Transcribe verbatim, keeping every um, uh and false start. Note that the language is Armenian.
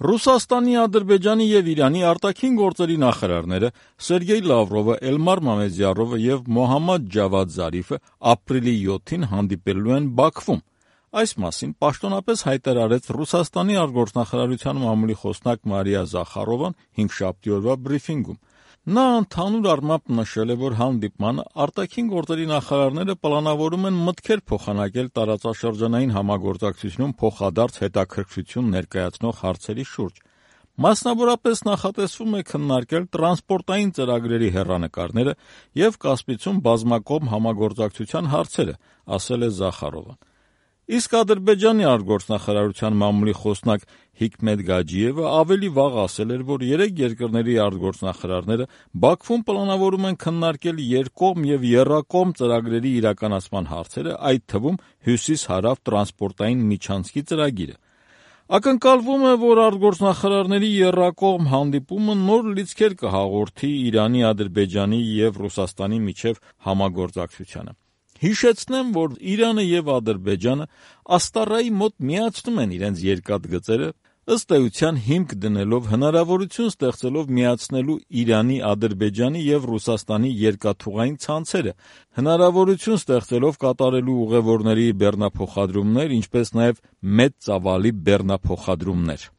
Ռուսաստանի, Ադրբեջանի եւ Իրանի արտաքին գործերի նախարարները Սերգեյ Լավրովը, Էլմար Մամեդյարովը եւ Մոհամմադ Ջավադ Զարիֆը ապրիլի յոթին հանդիպելու են Բաքվում։ Այս մասին պաշտոնապես հայտարարեց Ռուսաստանի արտգործնախարարության մամուլի խոսնակ Մարիա Զախարովան հինգշաբթի օրվա բրիֆինգում։ Նա ընդհանուր առմամբ նշել է, որ հանդիպմանը արտաքին գործերի նախարարները պլանավորում են մտքեր փոխանակել տարածաշրջանային համագործակցությունում փոխադարձ հետաքրքրություն ներկայացնող հարցերի շուրջ։ Մասնավորապես նախատեսվում է քննարկել տրանսպորտային ծրագրերի հեռանկարները եւ Կասպիցում բազմակողմ համագործակցության հարցերը, ասել է Զախարովան։ Իսկ Ադրբեջանի արտգործնախարարության մամուլի խոսնակ Հիկմետ Գաջիևը ավելի վաղ ասել էր, որ երեք երկրների արտգործնախարարները Բաքվում պլանավորում են քննարկել երկկողմ եւ եռակողմ ծրագրերի իրականացման հարցերը, այդ թվում Հյուսիս-Հարավ տրանսպորտային միջանցքի ծրագիրը։ Ակնկալվում է, որ արտգործնախարարների եռակողմ հանդիպումը նոր լիցքեր կհաղորդի Իրանի, Ադրբեջանի եւ Ռուսաստանի միջև համագործակցությանը։ Հիշեցնեմ, որ Իրանը եւ Ադրբեջանը Աստառայի մոտ միացնում են իրենց երկաթգծերը, ըստ էության հիմք դնելով, հնարավորություն ստեղծելով միացնելու Իրանի, Ադրբեջանի եւ Ռուսաստանի երկաթուղային ցանցերը, հնարավորություն ստեղծելով կատարելու ուղևորների բեռնափոխադրումներ, ինչպես նաեւ մեծ ծավալի բեռնափոխադրումներ։